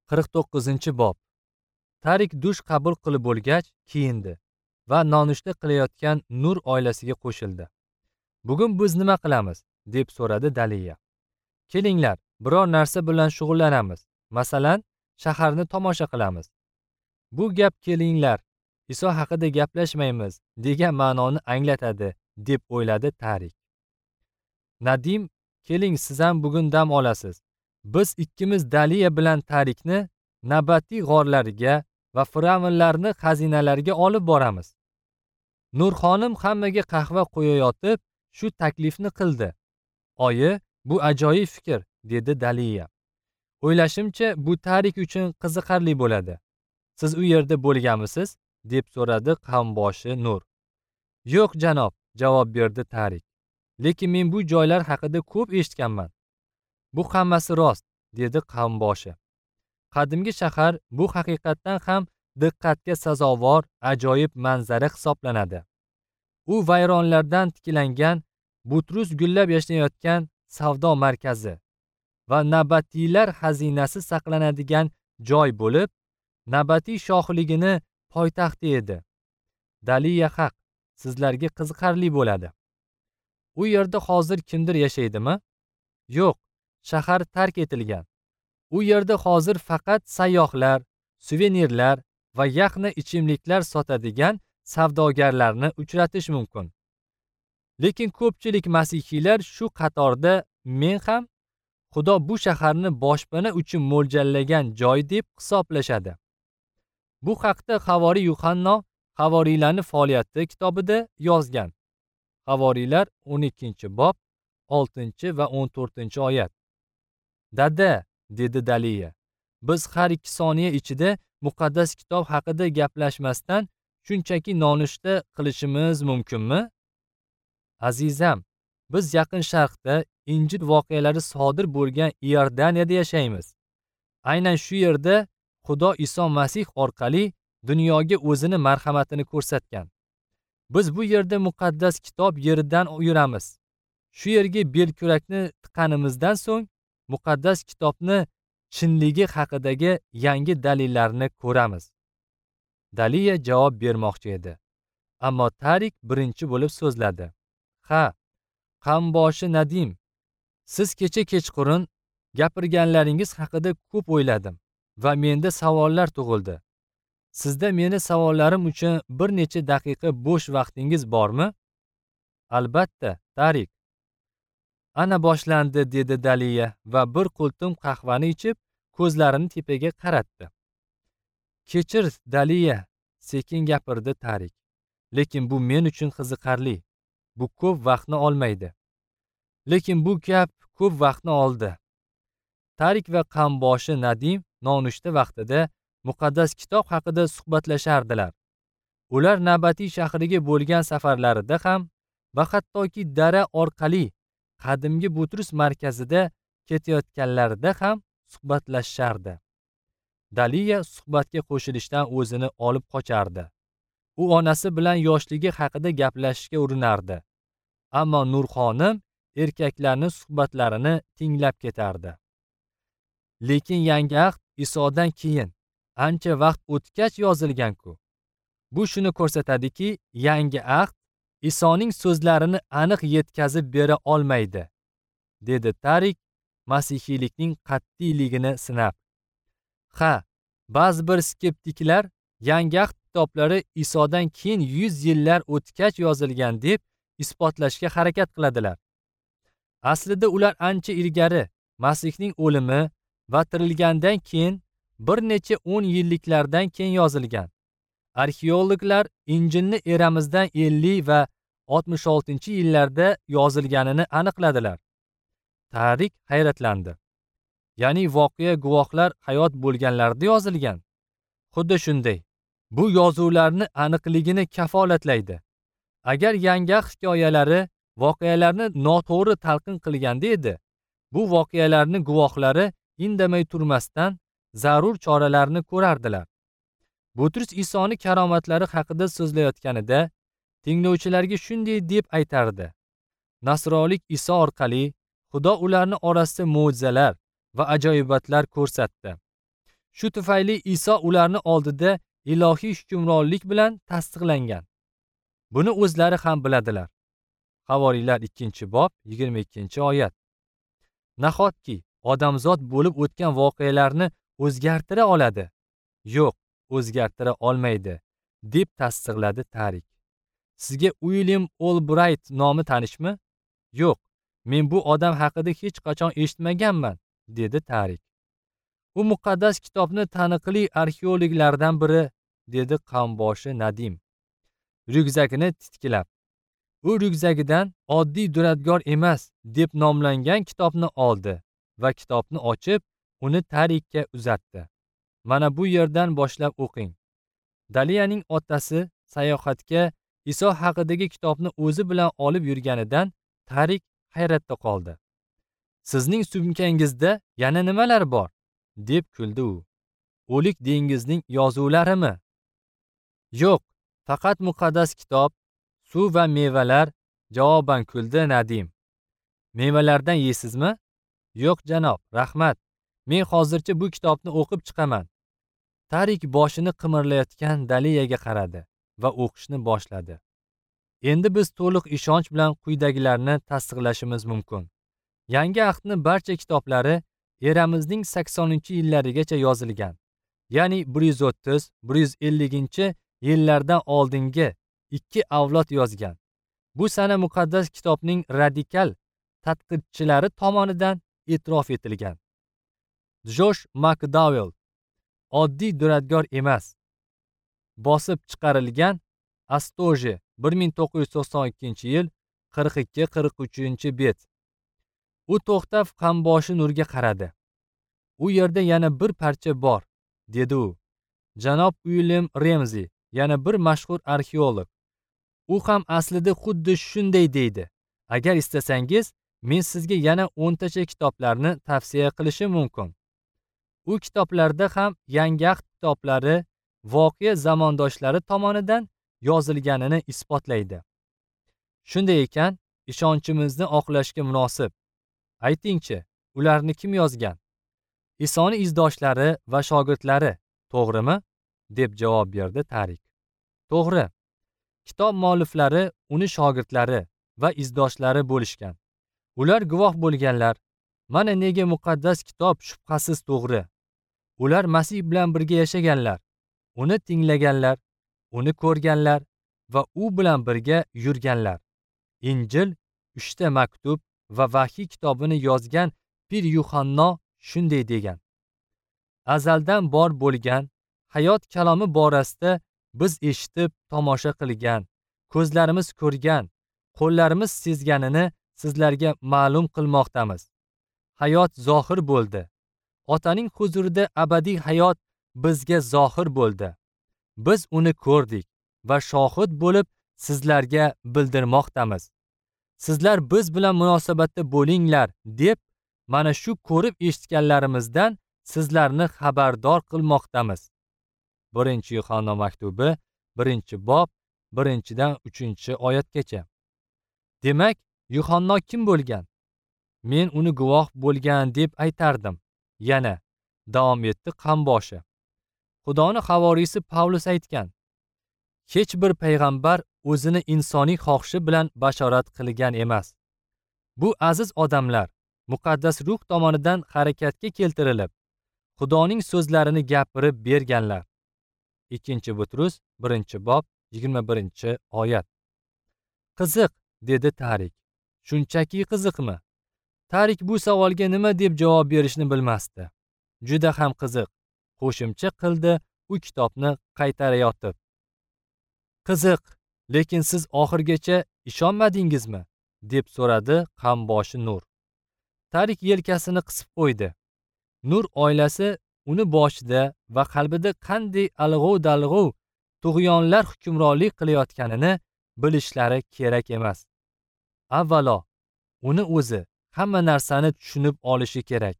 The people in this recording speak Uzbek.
49-bob. Tarik dush qabul qilib bo'lgach, kiyindi va nonushta qilayotgan Nur oilasiga qo'shildi. Bugun biz nima qilamiz? Deb so'radi Daliya. Kelinglar, biror narsa bilan shug'ullanamiz. Masalan, shaharni tomosha qilamiz. Bu gap kelinglar, Iso haqida gaplashmaymiz degan ma'noni anglatadi, deb o'yladi Tarik. Nadim, keling, siz ham bugun dam olasiz. Biz ikkimiz Daliya bilan Tarikni Nabatiy g'orlariga va fir'avnlarni xazinalariga olib boramiz. Nurxonim hammaga qahva qo'yayotib shu taklifni qildi. Oyi, bu ajoyib fikr, dedi Daliya. O'ylashimcha, bu Tarik uchun qiziqarli bo'ladi. Siz u yerda bo'lganmisiz? Deb so'radi qavmboshi Nur. Yo'q, janob, javob berdi Tarik. Lekin men bu joylar haqida ko'p eshitganman. Bu hammasi rost, dedi qavmboshi. Qadimgi shahar bu haqiqatdan ham diqqatga sazovor ajoyib manzara hisoblanadi. U vayronlardan tiklangan Butrus gullab yashnayotgan savdo markazi va nabatiylar xazinasi saqlanadigan joy bo'lib, Nabatiy shohligini poytaxti edi. Daliya haq, sizlarga qiziqarli bo'ladi. U yerda hozir kimdir yashaydimi? Yo'q, shahar tark etilgan. U yerda hozir faqat sayyohlar, suvenirlar va yaxna ichimliklar sotadigan savdogarlarni uchratish mumkin. Lekin ko'pchilik masihiylar shu qatorda men ham Xudo bu shaharni boshpana uchun mo'ljallagan joy deb hisoblashadi. Bu haqda Havoriy Yuhanno Havoriylarning faoliyati kitobida yozgan. Havoriylar 12-bob 6 va 14-oyat. Dada, dedi Daliya, biz har 2 soniya ichida muqaddas kitob haqida gaplashmasdan shunchaki nonushta qilishimiz mumkinmi? Azizam, biz Yaqin Sharqda Injil voqealari sodir bo'lgan Iordaniyada yashaymiz. Aynan shu yerda Xudo Iso Masih orqali dunyoga o'zini marhamatini ko'rsatgan. Biz bu yerda muqaddas kitob yeridan yuramiz. Shu yerga belkurakni tiqqanimizdan so'ng muqaddas kitobni chinligi haqidagi yangi dalillarni ko'ramiz. Daliya javob bermoqchi edi. Ammo Tarik birinchi bo'lib so'zladi. Ha, qavmboshi Nadim, siz kecha kechqurun gapirganlaringiz haqida ko'p o'yladim va menda savollar tug'ildi. Sizda meni savollarim uchun bir necha daqiqa bo'sh vaqtingiz bormi? Albatta, Tarik. Ana boshlandi, dedi Daliya va bir qultum qahvani ichib, ko'zlarini tepaga qaratdi. Kechir, Daliya, sekin gapirdi Tarik. Lekin bu men uchun qiziqarli. Bu ko'p vaqtni olmaydi. Lekin bu gap ko'p vaqtni oldi. Tarik va qavmboshi Nadim nonushta vaqtida muqaddas kitob haqida suhbatlashardilar. Ular Nabatiy shahriga bo'lgan safarlarida ham va hattoki dara orqali qadimgi Butrus markazida ketayotganlarida ham suhbatlashardi. Daliya suhbatga qo'shilishdan o'zini olib qochardi. U onasi bilan yoshligi haqida gaplashishga urinardi. Ammo Nurxonim erkaklarning suhbatlarini tinglab ketardi. Lekin yangi ahd Isodan keyin ancha vaqt o'tgach yozilgan-ku. Bu shuni ko'rsatadiki, yangi ahd Isoning so'zlarini aniq yetkazib bera olmaydi, dedi Tarik masihiylikning qat'iyligini sinab. Ha, ba'zi bir skeptiklar yangi ahd kitoblari Isodan keyin 100 yillar o'tgach yozilgan deb isbotlashga harakat qiladilar. Aslida ular ancha ilgari Masihning o'limi va tirilgandan keyin bir necha 10 yilliklardan keyin yozilgan. Arxeologlar Injilni eramizdan 50 va 66-yillarda yozilganini aniqladilar. Tarik hayratlandi. Ya'ni voqea guvohlar hayot bo'lganlarida yozilgan. Xuddi shunday. Bu yozuvlarni aniqligini kafolatlaydi. Agar yangi ahd hikoyalari voqealarni noto'g'ri talqin qilganda edi, bu voqealarning guvohlari indamay turmasdan zarur choralarni ko'rardilar. Butrus Isoni karomatlari haqida so'zlayotganida tinglovchilarga shunday deb aytardi: Nasrolik Iso orqali Xudo ularni orasida mo'jizalar va ajoyibotlar ko'rsatdi. Shu tufayli Iso ularni oldida ilohiy hukmronlik bilan tasdiqlangan. Buni o'zlari ham biladilar. Havoriylar 2-bob 22-oyat. Nahotki odamzod bo'lib o'tgan voqealarni o'zgartira oladi? Yo'q, o'zgartira olmaydi, deb tasdiqladi Tarik. Sizga Uilyam Olbrayt nomi tanishmi? Yo'q, men bu odam haqida hech qachon eshitmaganman, dedi Tarik. U muqaddas kitobni taniqli arxeologlardan biri, dedi qamboshi Nadim, ryukzakini titkilab. U ryukzagidan oddiy duradgor emas deb nomlangan kitobni oldi va kitobni ochib, uni Tarikka uzatdi. Mana bu yerdan boshlab o'qing. Daliyaning otasi sayohatga Iso haqidagi kitobni o'zi bilan olib yurganidan Tarik hayratda qoldi. Sizning sumkangizda yana nimalar bor? Deb kuldi u. O'lik dengizning yozuvlarimi? Yo'q, faqat muqaddas kitob, suv va mevalar, javoban kuldi Nadim. Mevalardan yeysizmi? Yo'q janob, rahmat. Men hozircha bu kitobni o'qib chiqaman. Tarik boshini qimirlayotgan Daliyaga qaradi va o'qishni boshladi. Endi biz to'liq ishonch bilan quyidagilarni tasdiqlashimiz mumkin. Yangi ahdning barcha kitoblari eramizning 80-yillarigacha yozilgan. Ya'ni 130-150 yillardan oldingi 2 avlod yozgan. Bu sana muqaddas kitobning radikal tadqiqchilari tomonidan e'tirof etilgan. Josh McDowell oddiy duradgor emas. Bosib chiqarilgan Astoje 1992-yil 42-43 bet. U to'xtab qamboshi Nurga qaradi. U yerda yana bir parcha bor, dedi u. Janob Uilyam Remzi, yana bir mashhur arxeolog. U ham aslida xuddi shunday deydi. Agar istasangiz, men sizga yana 10 tacha kitoblarni tavsiya qilishim mumkin. U kitoblarda ham Yangi ahd kitoblari voqea zamondoshlari tomonidan yozilganini isbotlaydi. Shunday ekan, ishonchimizni oqlashga munosib. Aytingchi, ularni kim yozgan? Isoni izdoshlari va shogirdlari, to'g'rimi? Deb javob berdi Tarik. To'g'ri. Kitob mualliflari uni shogirdlari va izdoshlari bo'lishgan. Ular guvoh bo'lganlar. Mana nega muqaddas kitob shubhasiz to'g'ri. Ular Masih bilan birga yashaganlar, uni tinglaganlar, uni ko'rganlar va u bilan birga yurganlar. Injil, 3 ta maktub va Vahiy kitobini yozgan Pir Yuhanno shunday degan: Azaldan bor bo'lgan hayot kalomi borasida biz eshitib tomosha qilgan, ko'zlarimiz ko'rgan, qo'llarimiz sezganini sizlarga ma'lum qilmoqdamiz. Hayot zohir bo'ldi. Otaning huzurida abadiy hayot bizga zohir bo'ldi. Biz uni ko'rdik va shohid bo'lib sizlarga bildirmoqdamiz. Sizlar biz bilan munosabatda bo'linglar deb mana shu ko'rib eshitganlarimizdan sizlarni xabardor qilmoqdamiz. 1-Yuhanno maktubi, 1-bob, 1-dan 3-oyatgacha. Demak, Yuhanno kim bo'lgan? Men uni guvoh bo'lgan deb aytardim. Yana davom etdi qamboshi. Xudoni havoriysi Pavlus aytgan: Hech bir payg'ambar o'zini insoniy xohishi bilan bashorat qilgan emas. Bu aziz odamlar muqaddas ruh tomonidan harakatga keltirilib, Xudoning so'zlarini gapirib berganlar. 2 Butrus 1-bob 21-oyat. Qiziq, dedi Tarik. Shunchaki qiziqmi? Tarik bu savolga nima deb javob berishni bilmasdi. Juda ham qiziq, qo'shimcha qildi u kitobni qaytarayotib. Qiziq, lekin siz oxirigacha ishonmadingizmi? Deb so'radi qamboshi Nur. Tarik yelkasini qisib qo'ydi. Nur oilasi uni boshida va qalbida qanday alg'ov-dalg'ov tug'yonlar hukmronlik qilayotganini bilishlari kerak emas. Avvalo, uni o'zi hamma narsani tushunib olishi kerak.